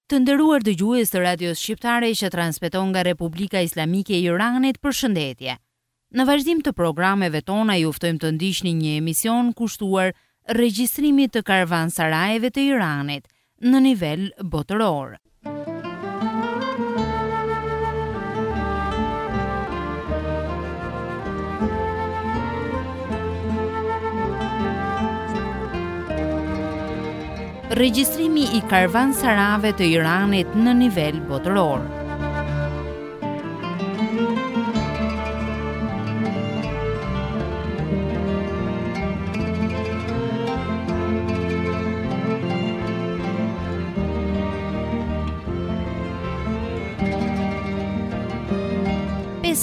Të nderuar dëgjues të Radios Shqiptare që transmeton nga Republika Islamike e Iranit, përshëndetje. Në vazhdim të programeve tona ju ftojmë të ndiqni një emision kushtuar regjistrimit të karvansarajeve të Iranit në nivel botëror. Regjistrimi i karvansarave të Iranit në nivel botëror.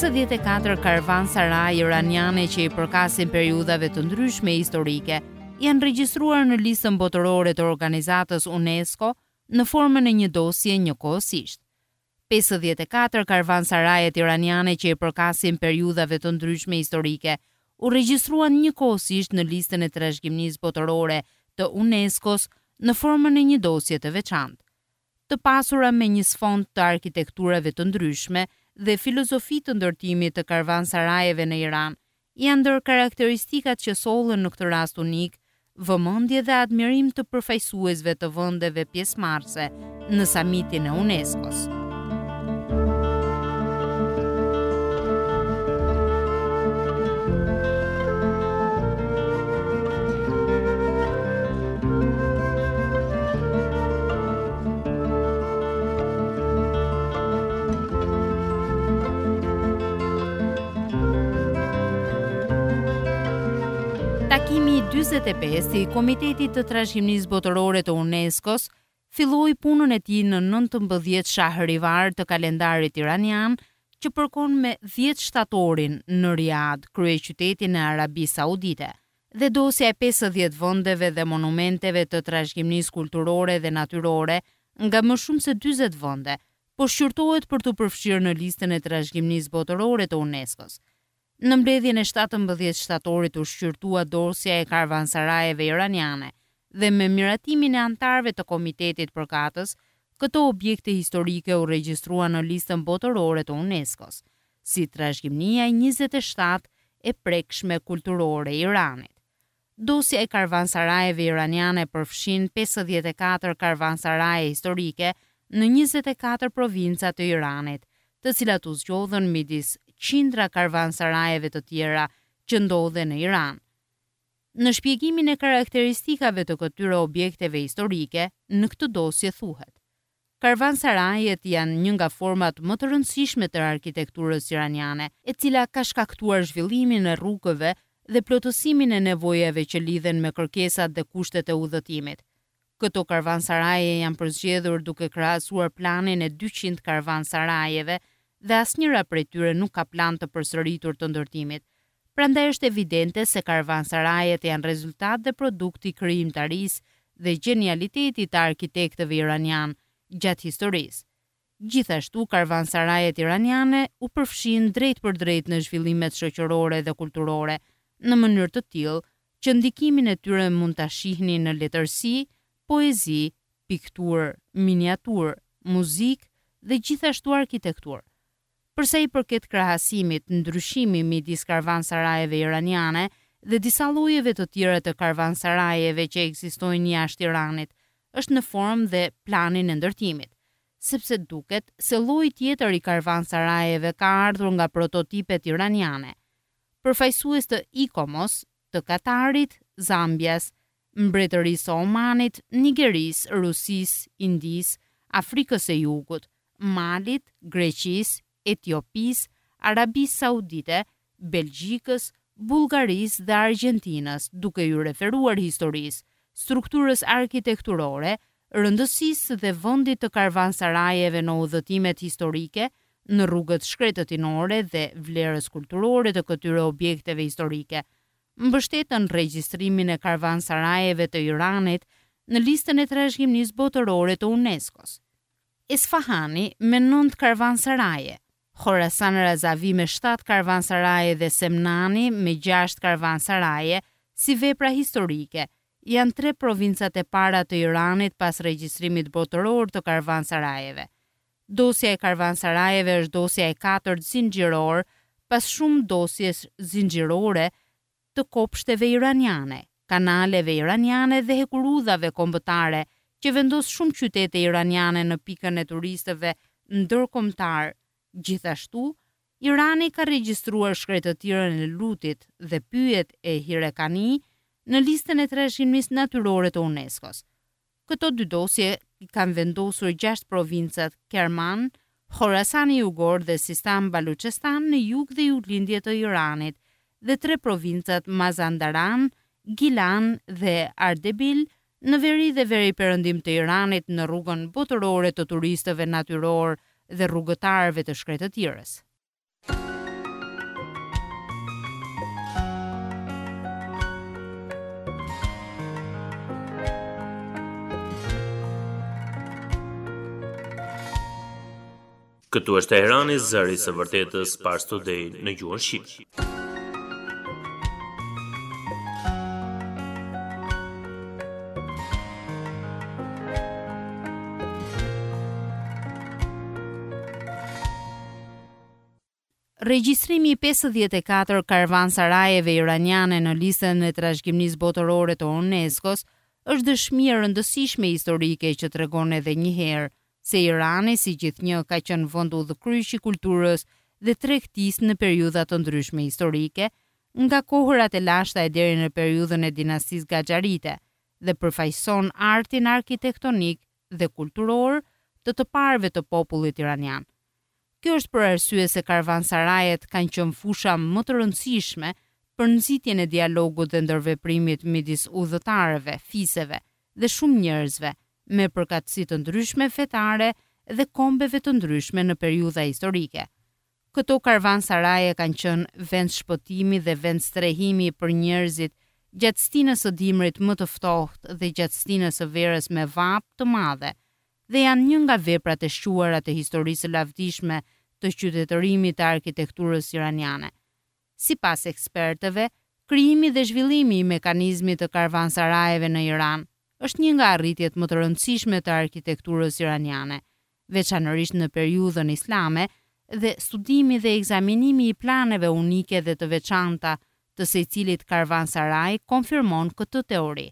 54 karvansaraje iraniane që i përkasin periudhave të ndryshme historike janë regjistruar në listën botërore të organizatës UNESCO në formën e një dosje njëkohësisht. 54 karvansarajet iraniane që i përkasin periudhave të ndryshme historike u regjistruan njëkohësisht në listën e trashëgimisë botërore të UNESCO-s në formën e një dosje të veçantë. Të pasura me një sfond të arkitekturave të ndryshme dhe filozofi të ndërtimit të karvansarajeve në Iran, janë ndër karakteristikat që sollën në këtë rast unik vëmendje dhe admirim të përfaqësuesve të vendeve pjesëmarrëse në samitin e UNESCO-s. Takimi i 45 i Komitetit të Trashëgimisë Botërore të UNESCO-s filloi punën e tij në 19 Shahrivar të kalendarit iranian, që përkon me 10 shtatorin në Riad, kryeqytetin e Arabisë Saudite. Dhe dosja e 50 vendeve dhe monumenteve të trashëgimisë kulturore dhe natyrore nga më shumë se 40 vende, po shqyrtohet për t'u përfshirë në listën e trashëgimisë botërore të UNESCO-s. Në mbledhjen e 17 shtatorit u shqyrtua dosja e karvansarajeve iraniane dhe me miratimin e anëtarëve të komitetit përkatës, këto objekte historike u regjistruan në listën botërore të UNESCO-s, si trashëgimia e 27 e prekshme kulturore e Iranit. Dosja e karvansarajeve iraniane përfshin 54 karvansaraje historike në 24 provinca të Iranit, të cilat u zgjodhën midis qindra karvansarajeve të tjera që ndodhen në Iran. Në shpjegimin e karakteristikave të këtyre objekteve historike, në këtë dosje thuhet: Karvansarajet janë një nga format më të rëndësishme të arkitekturës iraniane, e cila ka shkaktuar zhvillimin e rrugëve dhe plotësimin e nevojave që lidhen me kërkesat dhe kushtet e udhëtimit. Këto karvansaraje janë përzgjedhur duke krahasuar planin e 200 karvansarajeve dhe asnjëra prej tyre nuk ka plan të përsëritur të ndërtimit. Prandaj është evidente se karvansarajet janë rezultat dhe produkt i krijimtarisë dhe gjenialitetit të arkitektëve iranianë gjatë historisë. Gjithashtu, karvansarajet iraniane u përfshinë drejtpërdrejt në zhvillimet shoqërore dhe kulturore, në mënyrë të tillë që ndikimin e tyre mund ta shihni në letërsi, poezi, pikturë, miniaturë, muzikë dhe gjithashtu arkitekturë. Për sa i përket krahasimit, ndryshimi midis karvansarajeve iraniane dhe disa llojeve të tjera të karvansarajeve që ekzistojnë jashtë Iranit, është në formë dhe planin e ndërtimit, sepse duket se lloji tjetër i karvansarajeve ka ardhur nga prototipet iraniane. Përfaqësues të ICOMOS, të Katarit, Zambias, Mbretërisë së Omanit, Nigerisë, Rusisë, Indisë, Afrikës së Jugut, Malit, Greqisë, Etiopisë, Arabisë Saudite, Belgjikës, Bullgarisë dhe Argjentinës, duke iu referuar historisë, strukturës arkitekturore, rëndësisë dhe vendit të karvansarajeve në udhëtimet historike, në rrugët shkretëtinore dhe vlerës kulturore të këtyre objekteve historike, mbështetën regjistrimin e karvansarajeve të Iranit në listën e trashëgimisë botërore të UNESCO-s. Esfahani me 9 karvansaraje, Khorasan Razavi me 7 karvansaraje dhe Semnani me 6 karvansaraje si vepra historike. janë tre provincat e para të Iranit pas regjistrimit botëror të karvansarajeve. Dosja e karvansarajeve është dosja e katërt zinxhiror pas shumë dosjesh zinxhirore të kopshteve iraniane, kanaleve iraniane dhe hekurudhave kombëtare që vendos shumë qytete iraniane në pikën e turistëve ndërkombëtarë. Gjithashtu, Irani ka regjistruar shkretëtirën e Lutit dhe pyjet e Hirekani në listën e trashëgimisë natyrore të UNESCO-s. Këto dy dosje i kanë vendosur gjashtë provincat Kerman, Khorasani Jugor dhe Sistan Baluchestan në jug dhe juglindje të Iranit dhe tre provincat Mazandaran, Gilan dhe Ardebil në veri dhe veriperëndim të Iranit në rrugën botërore të turistëve natyrorë dhe rrugëtarëve të shkretëtirës. Këtu është Teherani, zëri i së vërtetës Pars Today në gjuhën shqipe. Regjistrimi i 54 karvansarajeve iraniane në listën e trashëgimisë botërore të UNESCO-s është dëshmi e rëndësishme historike që tregon edhe një herë se Irani si gjithnjë ka qenë vend udhëkryq i kulturës dhe tregtisë në periudha të ndryshme historike, nga kohërat e lashta e deri në periudhën e dinastisë Gaxharite dhe përfaqëson artin arkitektonik dhe kulturor të të parëve të popullit iranian. Kjo është për arsye se karvansarajet kanë qenë fusha më të rëndësishme për nxitjen e dialogut dhe ndërveprimit midis udhëtarëve, fiseve dhe shumë njerëzve me përkatësi të ndryshme fetare dhe kombeve të ndryshme në periudha historike. Këto karvansaraje kanë qenë vend shpëtimi dhe vend strehimi për njerëzit gjatë stinës së dimrit më të ftohtë dhe gjatë stinës së verës me vapë të madhe dhe janë një nga veprat e shquara të historisë së lavdishme të qytetërimit të arkitekturës iraniane. Sipas ekspertëve, krijimi dhe zhvillimi i mekanizmit të karvansarajeve në Iran është një nga arritjet më të rëndësishme të arkitekturës iraniane, veçanërisht në periudhën islame dhe studimi dhe ekzaminimi i planeve unike dhe të veçanta të secilit karvansaraj konfirmon këtë teori.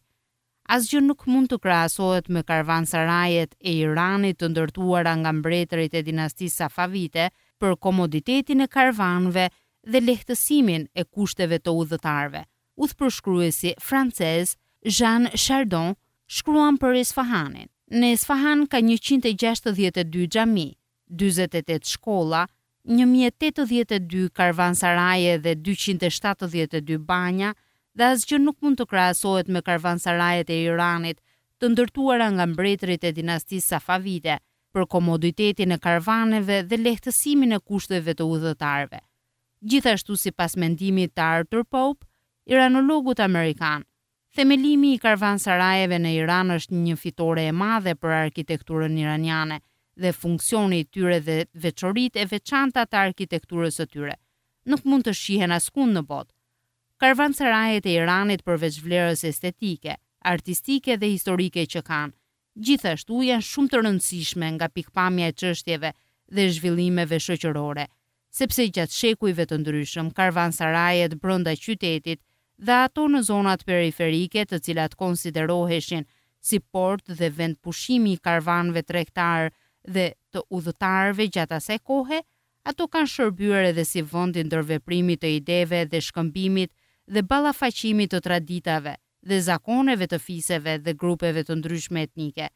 Asgjë nuk mund të krahasohet me karvansarajet e Iranit të ndërtuara nga mbretërit e dinastisë Safavite për komoditetin e karvanëve dhe lehtësimin e kushteve të udhëtarëve. Udhëpërshkruesi francez Jean Chardon shkruan për Esfahanin. Në Esfahan ka 162 xhami, 48 shkolla, 1082 karvansaraje dhe 272 banja dhe asgjë nuk mund të krahasohet me karvansarajet e Iranit të ndërtuara nga mbretërit e dinastisë Safavite për komoditetin e karvaneve dhe lehtësimin e kushteve të udhëtarëve. Gjithashtu sipas mendimit të Arthur Pope, iranologut amerikan, Themelimi i karvansarajeve në Iran është një fitore e madhe për arkitekturën iraniane dhe funksioni i tyre dhe veçoritë e veçanta të arkitekturës së tyre nuk mund të shihen askund në botë. Karvansarajet e Iranit përveç vlerës estetike, artistike dhe historike që kanë, gjithashtu janë shumë të rëndësishme nga pikëpamja e çështjeve dhe zhvillimeve shoqërore, sepse gjatë shekujve të ndryshëm karvansarajet brenda qytetit dhe ato në zonat periferike të cilat konsideroheshin si port dhe vend pushimi i karvanëve tregtarë dhe të udhëtarëve gjatë asaj kohe, ato kanë shërbyer edhe si vend i ndërveprimit të ideve dhe shkëmbimit dhe ballafaqimit të traditave dhe zakoneve të fiseve dhe grupeve të ndryshme etnike,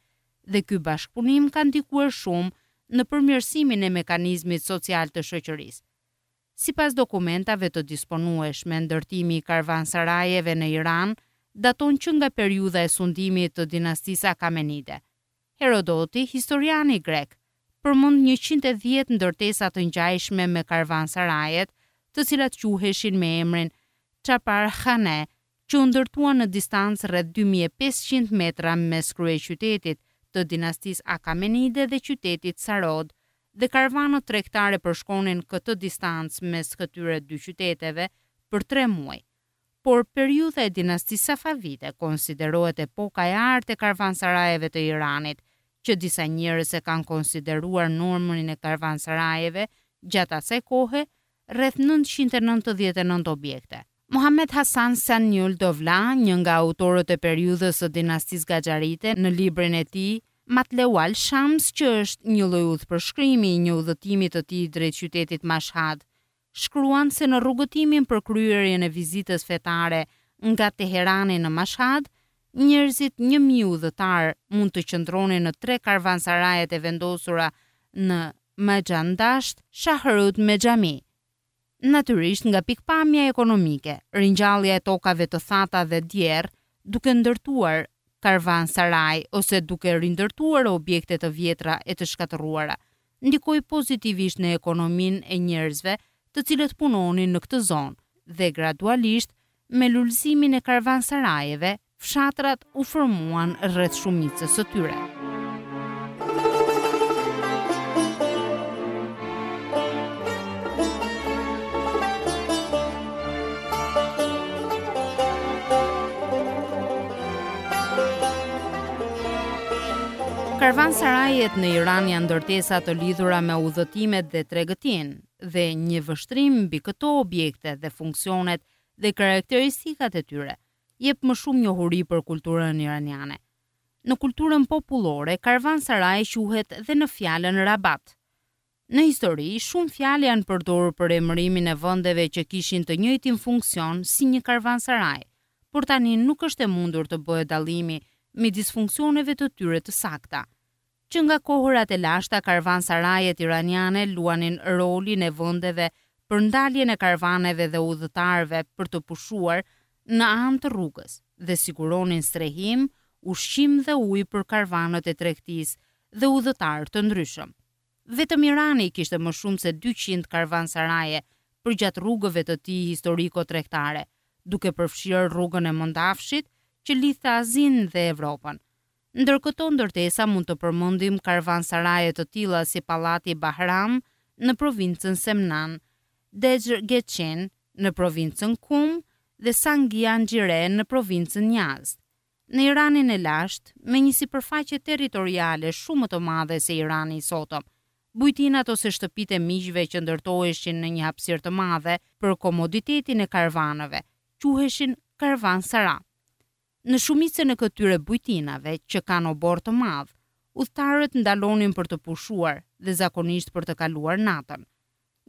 dhe ky bashkëpunim ka ndikuar shumë në përmirësimin e mekanizmit social të shoqërisë. Sipas dokumentave të disponueshme, ndërtimi i karvansarajeve në Iran daton që nga periudha e sundimit të dinastisë Akamenide. Herodoti, historiani grek, përmend 110 ndërtesa të ngjashme me karvansarajet, të cilat quheshin me emrin Chapar Khane, që u ndërtuan në distancë rreth 2500 metra mes kryeqytetit të dinastisë Akamenide dhe qytetit Sarod, dhe karvanët tregtare përshkonin këtë distancë mes këtyre dy qyteteve për tre muaj. Por periudha e dinastisë Safavite konsiderohet epoka e artë e karvansarajeve të Iranit, që disa njerëz e kanë konsideruar numrin e karvansarajeve gjatë asaj kohe rreth 999 objekte. Mohamed Hassan Saniul Dovla, një nga autorët e periudhës së dinastisë Gaxharite, në librin e tij Matleual Shams, që është një lloj udhëpërshkrimi i një udhëtimi të tij drejt qytetit Mashhad, shkruan se në rrugëtimin për kryerjen e vizitës fetare nga Teherani në Mashhad, njerëzit 1000 udhëtarë mund të qëndronin në tre karvansarajet e vendosura në Majandasht, Shahrud me xhami. Natyrisht nga pikëpamja ekonomike, ringjallja e tokave të thata dhe djerrë, duke ndërtuar karvansaraj ose duke rindërtuar objekte të vjetra e të shkatërruara, ndikoi pozitivisht në ekonominë e njerëzve të cilët punonin në këtë zonë dhe gradualisht me lulëzimin e karvansarajeve, fshatrat u formuan rreth shumicës së tyre. Karvansarajet në Iran janë ndërtesa të lidhura me udhëtimet dhe tregtinë, dhe një vështrim mbi këto objekte dhe funksionet dhe karakteristikat e tyre, jep më shumë njohuri për kulturën iraniane. Në kulturën popullore, karvansaraj quhet dhe në fjalën rabat. Në histori, shumë fjalë janë përdorur për emërimin e vendeve që kishin të njëjtin funksion si një karvansaraj, por tani nuk është e mundur të bëhet dallimi midis funksioneve të tyre të sakta. Që nga kohërat e lashta karvansarajet iraniane luanin rolin e vendeve për ndaljen e karvaneve dhe udhëtarëve për të pushuar në anë të rrugës dhe siguronin strehim, ushqim dhe ujë për karvanët e tregtisë dhe udhëtarë të ndryshëm. Vetëm Irani kishte më shumë se 200 karvansaraje përgjatë rrugëve të tij historiko-tregtare, duke përfshirë rrugën e Mëndafshit që lidhte Azinë dhe Evropën. Ndër këto ndërtesa mund të përmendim karvansaraje të tilla si Pallati Bahram në provincën Semnan, Dejgechin në provincën Kum dhe Sangi Anjire në provincën Yazd. Në Iranin e lashtë, me një sipërfaqe territoriale shumë më të madhe se Irani i sotëm, bujtinat ose shtëpitë e miqve që ndërtoheshin në një hapësirë të madhe për komoditetin e karvanëve, quheshin karvansara. Në shumicën e këtyre bujtinave, që kanë oborr të madh, udhëtarët ndalonin për të pushuar dhe zakonisht për të kaluar natën.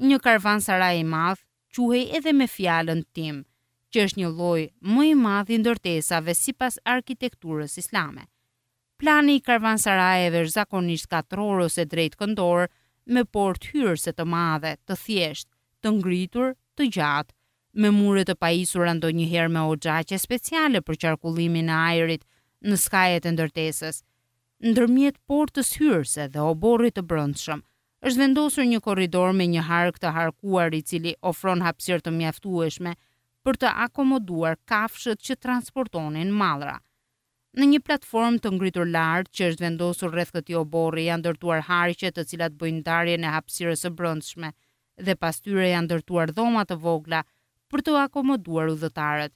Një karvansaraj i madh quhej edhe me fjalën tim, që është një lloj më i madh i ndërtesave sipas arkitekturës islame. Plani i karvansarajeve është zakonisht katror ose drejtkëndor me portë hyrëse të madhe, të thjeshtë, të ngritur, të gjatë, me mure të pajisura ndonjëherë me oxhaqe speciale për qarkullimin e ajrit në skajet e ndërtesës. Ndërmjet portës hyrëse dhe oborrit të brendshëm, është vendosur një korridor me një hark të harkuar i cili ofron hapësirë të mjaftueshme për të akomoduar kafshët që transportonin mallra. Në një platformë të ngritur lart që është vendosur rreth këtij oborri janë ndërtuar harqe të cilat bëjnë ndarjen e hapësirës së brendshme dhe pas tyre janë ndërtuar dhoma të vogla për të akomoduar udhëtarët.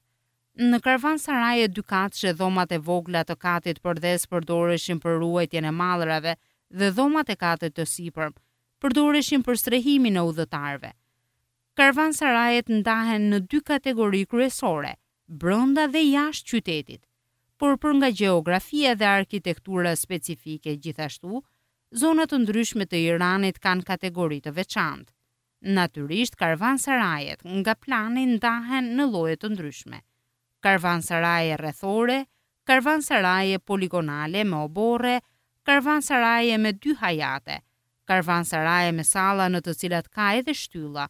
Në karvansaraje dykatëshe dhomat e vogla të katit përdhes përdoreshin për ruajtjen e mallrave dhe dhomat e katit të sipërm përdoreshin për strehimin e udhëtarëve. Karvansarajet ndahen në dy kategori kryesore, brenda dhe jashtë qytetit. Por për nga gjeografia dhe arkitektura specifike gjithashtu, zona të ndryshme të Iranit kanë kategori të veçantë. Natyrisht, karvansarajet nga plani ndahen në lloje të ndryshme. Karvansaraje rrethore, karvansaraje poligonale me oborre, karvansaraje me dy hajate, karvansaraje me salla në të cilat ka edhe shtylla,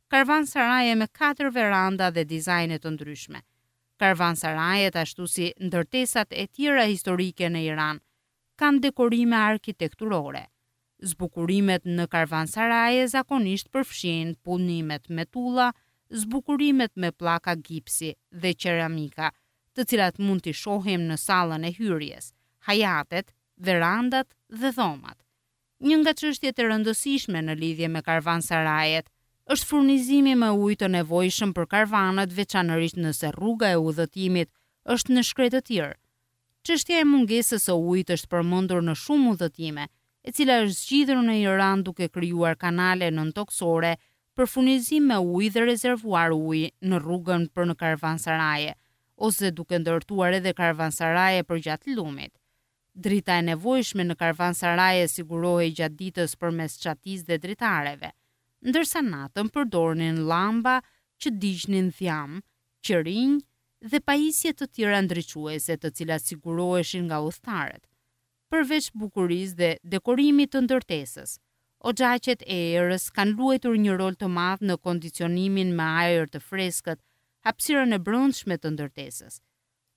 karvansaraje me katër veranda dhe dizajne të ndryshme. Karvansarajet ashtu si ndërtesat e tjera historike në Iran kanë dekorime arkitekturore. Zbukurimet në karvansaraje zakonisht përfshijnë punimet me tulla, zbukurimet me pllaka gipsi dhe qeramika, të cilat mund t'i shohim në sallën e hyrjes, hajatet, verandat dhe dhomat. Një nga çështjet e rëndësishme në lidhje me karvansarajet është furnizimi me ujë të nevojshëm për karvanët veçanërisht nëse rruga e udhëtimit është në shkretëtirë. Çështja e mungesës së ujit është përmendur në shumë udhëtime, e cila është zgjidhur në Iran duke krijuar kanale nëntokësore për furnizim me ujë dhe rezervuar uji në rrugën për në karvansaraje, ose duke ndërtuar edhe karvansaraje përgjatë lumit. Drita e nevojshme në karvansaraje sigurohej gjatë ditës përmes çatisë dhe dritareve, ndërsa natën përdornin llamba që digjnin dhjamë, qirinj dhe pajisje të tjera ndriçuese të cilat siguroheshin nga udhëtarët. Përveç bukurisë dhe dekorimit të ndërtesës, oxhaqet e erës kanë luajtur një rol të madh në kondicionimin me ajër të freskët hapësirën e brendshme të ndërtesës.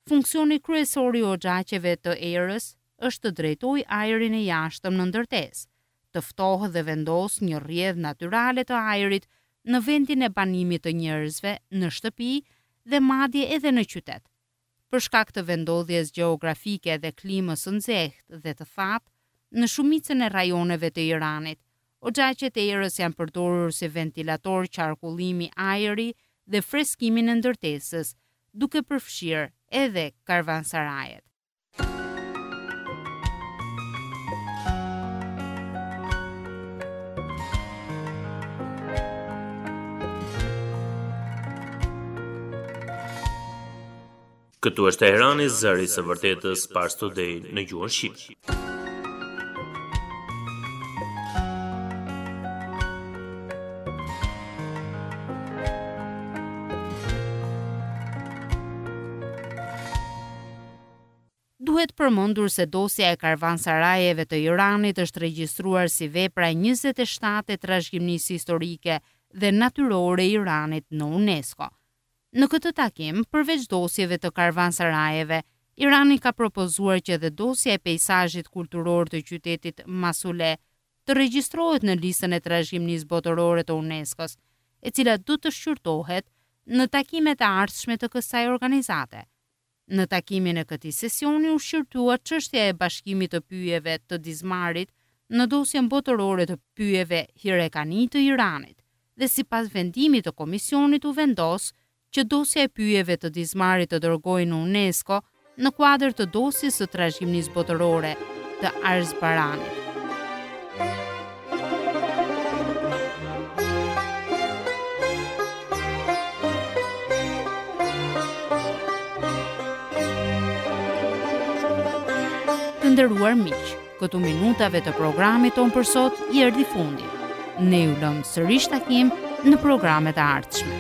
Funksioni kryesor i oxhaqeve të erës është të drejtojë ajrin e jashtëm në ndërtesë, të ftohë dhe vendosë një rrjedhë natyrale të ajrit në vendin e banimit të njerëzve në shtëpi dhe madje edhe në qytet. Për shkak të vendndodhjes gjeografike dhe klimës së nxehtë dhe të thatë në shumicën e rajoneve të Iranit, oxhaqet e erës janë përdorur si ventilator qarkullimi ajri dhe freskimin e ndërtesës, duke përfshirë edhe karvansarajet. Këtu është Teherani, zëri i së vërtetës Pars Today në gjuhën shqipe. Duhet përmendur se dosja e karvansarajeve të Iranit është regjistruar si vepra e 27 e trashëgimisë historike dhe natyrore e Iranit në UNESCO. Në këtë takim, përveç dosjeve të karvansarajeve, Irani ka propozuar që edhe dosja e peisazhit kulturor të qytetit Masule të regjistrohet në listën e trashëgimisë botërore të UNESCO-s, e cila do të shqyrtohet në takimet e ardhshme të kësaj organizate. Në takimin e këtij sesioni u shqyrtua çështja e bashkimit të pyjeve të Dizmarit në dosjen botërore të pyjeve Hirekani të Iranit dhe sipas vendimit të komisionit u vendos që dosja e pyjeve të Dizmarit të dërgohej në UNESCO në kuadër të dosjes së trashëgimisë botërore të Arzbaranit. Të nderuar miq, këtu minutave të programit tonë për sot i erdhi fundi. Ne ju lëmë sërish takim në programet e ardhshme.